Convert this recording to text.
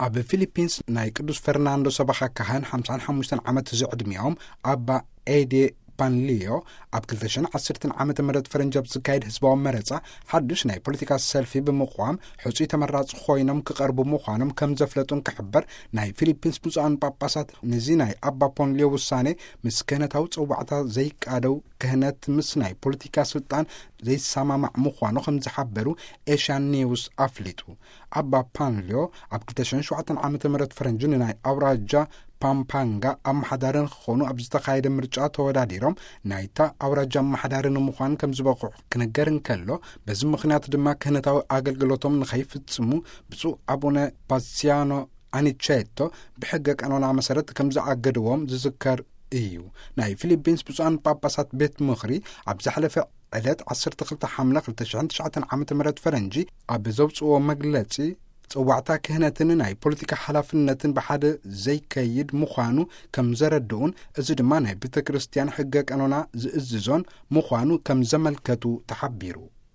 ኣብ ፊሊፒንስ ናይ ቅዱስ ፈርናንዶ ሰበኻ ካህን ሓምሳን ሓሙሽተን ዓመት ዝዕድሚኦም ኣባ ኤዴ ፓንሊዮ፣ ኣብ ክልተ ሽሕን ዓሰርተን ዓመተ ምህረት ፈረንጂ ኣብ ዝካየድ ህዝባዊ መረጻ ሓድሽ ናይ ፖለቲካ ሰልፊ ብምቕዋም ሕጹይ ተመራጺ ኮይኖም ክቐርቡ ምዃኖም ከም ዘፍለጡን ክሕበር፣ ናይ ፊሊፒንስ ብፁዓን ጳጳሳት ነዚ ናይ ኣባ ፖንሊዮ ውሳኔ ምስ ክህነታዊ ጽዋዕታ ዘይቃደው፣ ክህነት ምስ ናይ ፖለቲካ ስልጣን ዘይሰማማዕ ምዃኑ ከም ዝሓበሩ ኤሽያን ኒውስ ኣፍሊጡ። ኣባ ፓንሊዮ ኣብ ክልተ ሽሕን ሸውዓተን ዓመተ ምህረት ፈረንጂ ንናይ ኣውራጃ ፓምፓንጋ ኣመሓዳሪ ንክኾኑ ኣብ ዝተኻየደ ምርጫ ተወዳዲሮም ናይታ ኣውራጃ ኣመሓዳሪ ንምዃን ከም ዝበቕዑ ክንገር እንከሎ፣ በዚ ምኽንያት ድማ ክህነታዊ ኣገልግሎቶም ንኸይፍጽሙ ብፁዕ ኣቡነ ፓሲያኖ ኣኒቼቶ ብሕገ ቀኖና መሰረት ከም ዝኣገድዎም ዝዝከር እዩ። ናይ ፊሊፒንስ ብፁዓን ጳጳሳት ቤት ምኽሪ ኣብ ዝሓለፈ ዕለት ዓሰርተ ክልተ ሓምለ ክልተ ሽሕን ትሽዓተን ዓመተ ምህረት ፈረንጂ ኣብ ዘውፅዎ መግለፂ፣ ጽዋዕታ ክህነትን ናይ ፖለቲካ ሓላፍነትን ብሓደ ዘይከይድ ምዃኑ ከም ዘረድኡን፣ እዚ ድማ ናይ ቤተ ክርስቲያን ሕገ ቀኖና ዝእዝዞን ምዃኑ ከም ዘመልከቱ ተሓቢሩ።